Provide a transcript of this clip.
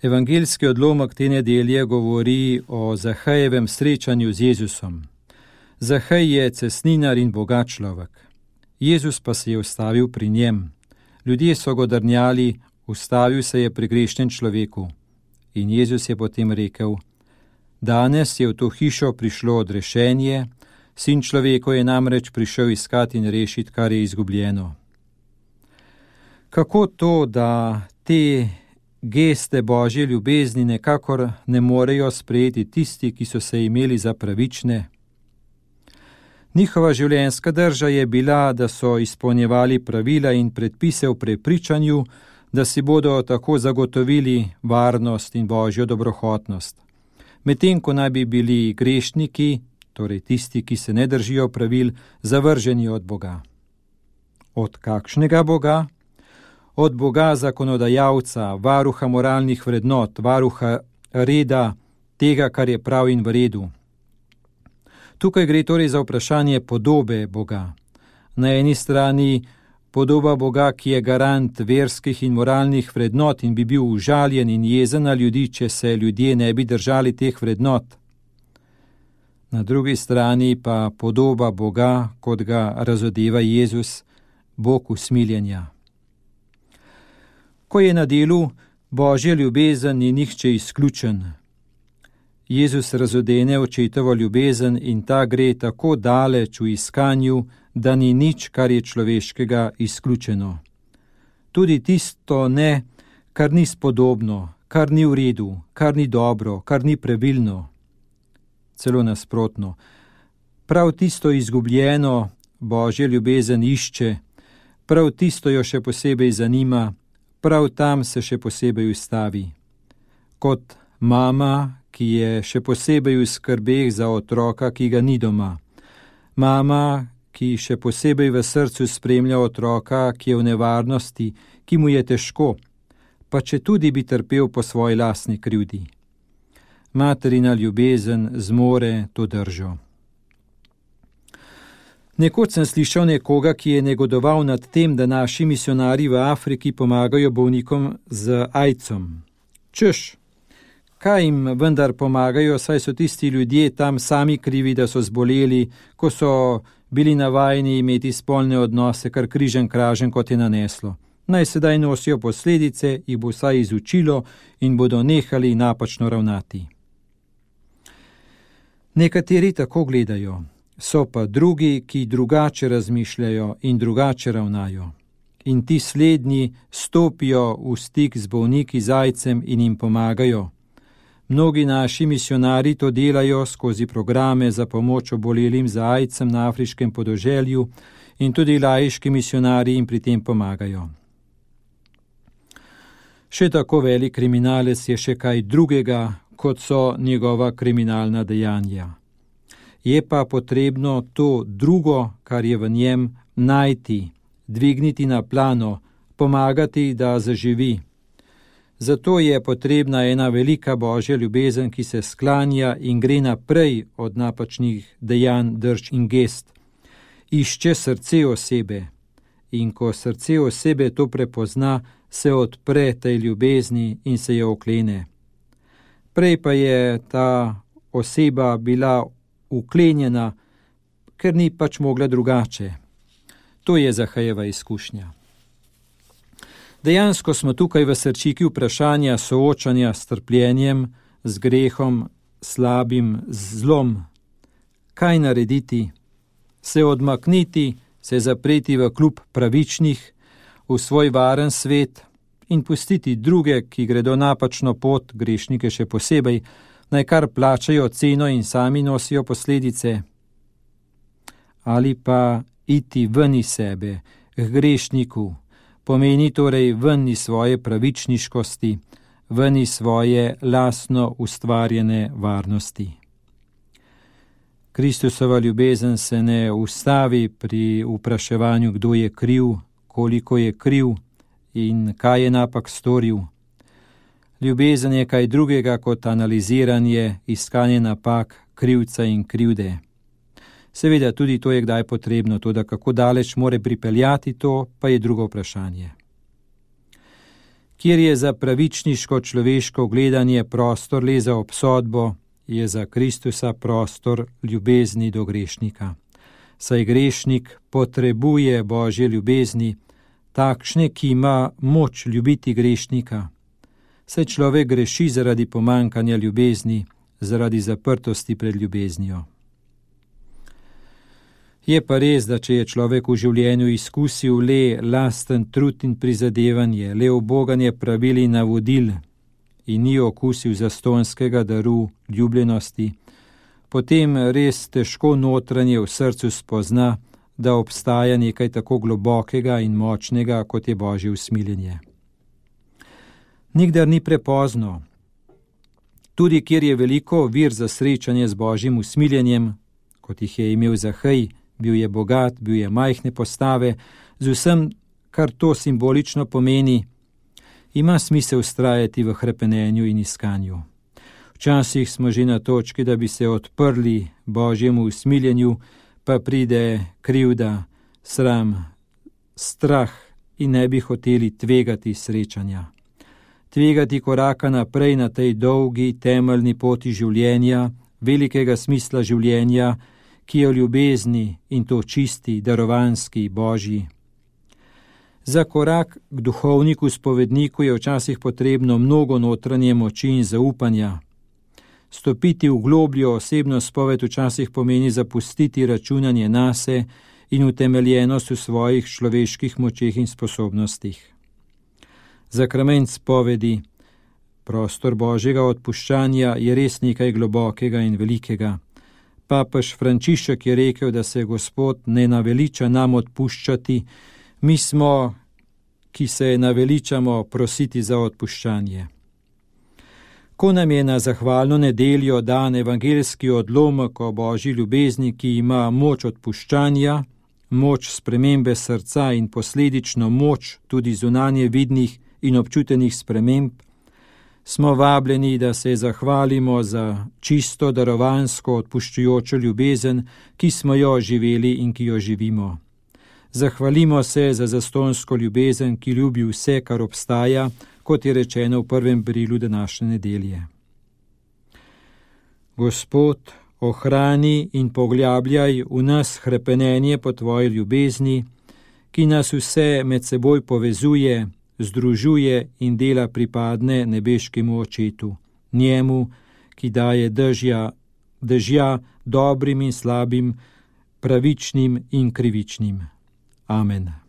Evangeljski odlomek te nedelje govori o Zahejevem srečanju z Jezusom. Zahej je cestninar in bogat človek. Jezus pa se je ustavil pri njem. Ljudje so ga drnjali, ustavil se je pri grešnem človeku. In Jezus je potem rekel: danes je v to hišo prišlo odrešenje, Sin človekov je namreč prišel iskati in rešiti, kar je izgubljeno. Kako to, da te geste Božje ljubezni nekakor ne morejo sprejeti tisti, ki so se imeli za pravične? Njihova življenjska drža je bila, da so izpolnjevali pravila in predpise v prepričanju, da si bodo tako zagotovili varnost in Božjo dobrohotnost. Medtem ko naj bi bili grešniki, torej tisti, ki se ne držijo pravil, zavrženi od Boga. Od kakšnega Boga? Od Boga zakonodajalca, varuha moralnih vrednot, varuha reda, tega, kar je prav in v redu. Tukaj gre torej za vprašanje podobe Boga. Na eni strani podoba Boga, ki je garant verskih in moralnih vrednot in bi bil užaljen in jezen na ljudi, če se ljudje ne bi držali teh vrednot. Na drugi strani pa podoba Boga, kot ga razodeva Jezus, Bog usmiljenja. Ko je na delu Božja ljubezen, ni nihče izključen. Jezus razodene očetovo ljubezen in ta gre tako daleč v iskanju, da ni nič, kar je človeškega, izključeno. Tudi tisto ne, kar ni spodobno, kar ni v redu, kar ni dobro, kar ni pravilno. Celo nasprotno. Prav tisto izgubljeno Božja ljubezen išče, prav tisto jo še posebej zanima, prav tam se še posebej ustavi. Kot mama, ki je še posebej v skrbeh za otroka, ki ga ni doma. Mama, ki še posebej v srcu spremlja otroka, ki je v nevarnosti, ki mu je težko, pa če tudi bi trpel po svoji lastni krivdi. Materina ljubezen zmore to držo. Nekoč sem slišal nekoga, ki je negodoval nad tem, da naši misionarji v Afriki pomagajo bolnikom z AIDS-om. Češ, kaj jim vendar pomagajo, saj so tisti ljudje tam sami krivi, da so zboleli, ko so bili navajeni imeti spolne odnose, kar križem kražem, kot je naneslo. Naj sedaj nosijo posledice, jih bo vsaj izučilo in bodo nehali napačno ravnati. Nekateri tako gledajo, so pa drugi, ki drugače razmišljajo in drugače ravnajo. In ti slednji stopijo v stik z bolniki z AIDS-em in jim pomagajo. Mnogi naši misionarji to delajo skozi programe za pomoč obolelim za AIDS-em na afriškem podeželju in tudi laiški misionarji jim pri tem pomagajo. Še tako velik kriminalec je še kaj drugega, kot so njegova kriminalna dejanja. Je pa potrebno to drugo, kar je v njem, najti, dvigniti na plano, pomagati, da zaživi. Zato je potrebna ena velika Božja ljubezen, ki se sklanja in gre naprej od napačnih dejanj, drž in gest. Išče srce osebe in ko srce osebe to prepozna, se odpre tej ljubezni in se je oklene. Prej pa je ta oseba bila uklenjena, ker ni pač mogla drugače. To je Zahejeva izkušnja. Dejansko smo tukaj v srčiki vprašanja soočanja s trpljenjem, z grehom, slabim, z zlom. Kaj narediti? Se odmakniti, se zapreti v klub pravičnih, v svoj varen svet in pustiti druge, ki gredo napačno pot, grešnike še posebej, naj kar plačajo ceno in sami nosijo posledice? Ali pa iti ven iz sebe, k grešniku, pomeni torej ven iz svoje pravičniškosti, ven iz svoje lastno ustvarjene varnosti. Kristusova ljubezen se ne ustavi pri vpraševanju, kdo je kriv, koliko je kriv in kaj je napak storil. Ljubezen je kaj drugega kot analiziranje, iskanje napak, krivca in krivde. Seveda tudi to je kdaj potrebno, toda kako daleč more pripeljati to, pa je drugo vprašanje. Kjer je za pravičniško človeško gledanje prostor le za obsodbo, je za Kristusa prostor ljubezni do grešnika. Saj grešnik potrebuje Božje ljubezni, takšne, ki ima moč ljubiti grešnika. Saj človek greši zaradi pomankanja ljubezni, zaradi zaprtosti pred ljubeznijo. Je pa res, da če je človek v življenju izkusil le lasten trud in prizadevanje, le uboganje pravil in navodil in ni okusil zastonjskega daru ljubljenosti, potem res težko notranje v srcu spozna, da obstaja nekaj tako globokega in močnega, kot je Božje usmiljenje. Nikdar ni prepozno. Tudi kjer je veliko vir za srečanje z Božjim usmiljenjem, kot jih je imel Zahej, bil je bogat, bil je majhne postave, z vsem, kar to simbolično pomeni, ima smisel vztrajati v hrepenenju in iskanju. Včasih smo že na točki, da bi se odprli Božjemu usmiljenju, pa pride krivda, sram, strah in ne bi hoteli tvegati srečanja. Tvegati koraka naprej na tej dolgi, temeljni poti življenja, velikega smisla življenja, ki je v ljubezni in to čisti, darovanski, Božji. Za korak k duhovniku, spovedniku je včasih potrebno mnogo notranje moči in zaupanja. Stopiti v globljo osebno spoved včasih pomeni zapustiti računanje nase in utemeljenost v svojih človeških močeh in sposobnostih. Zakrament spovedi, prostor Božjega odpuščanja, je res nekaj globokega in velikega. Papež Frančišek je rekel, da se Gospod ne naveliča nam odpuščati, mi smo, ki se naveličamo prositi za odpuščanje. Ko nam je na zahvalno nedeljo dan evangeljski odlomek o Božji ljubezni, ki ima moč odpuščanja, moč spremembe srca in posledično moč tudi zunanje vidnih in občutenih sprememb, smo vabljeni, da se zahvalimo za čisto darovansko odpuščujočo ljubezen, ki smo jo živeli in ki jo živimo. Zahvalimo se za zastonjsko ljubezen, ki ljubi vse, kar obstaja, kot je rečeno v prvem berilu današnje nedelje. Gospod, ohrani in poglabljaj v nas hrepenenje po tvoji ljubezni, ki nas vse med seboj povezuje, združuje in dela pripadne nebeškemu Očetu, njemu, ki daje dežja dobrim in slabim, pravičnim in krivičnim. Amen.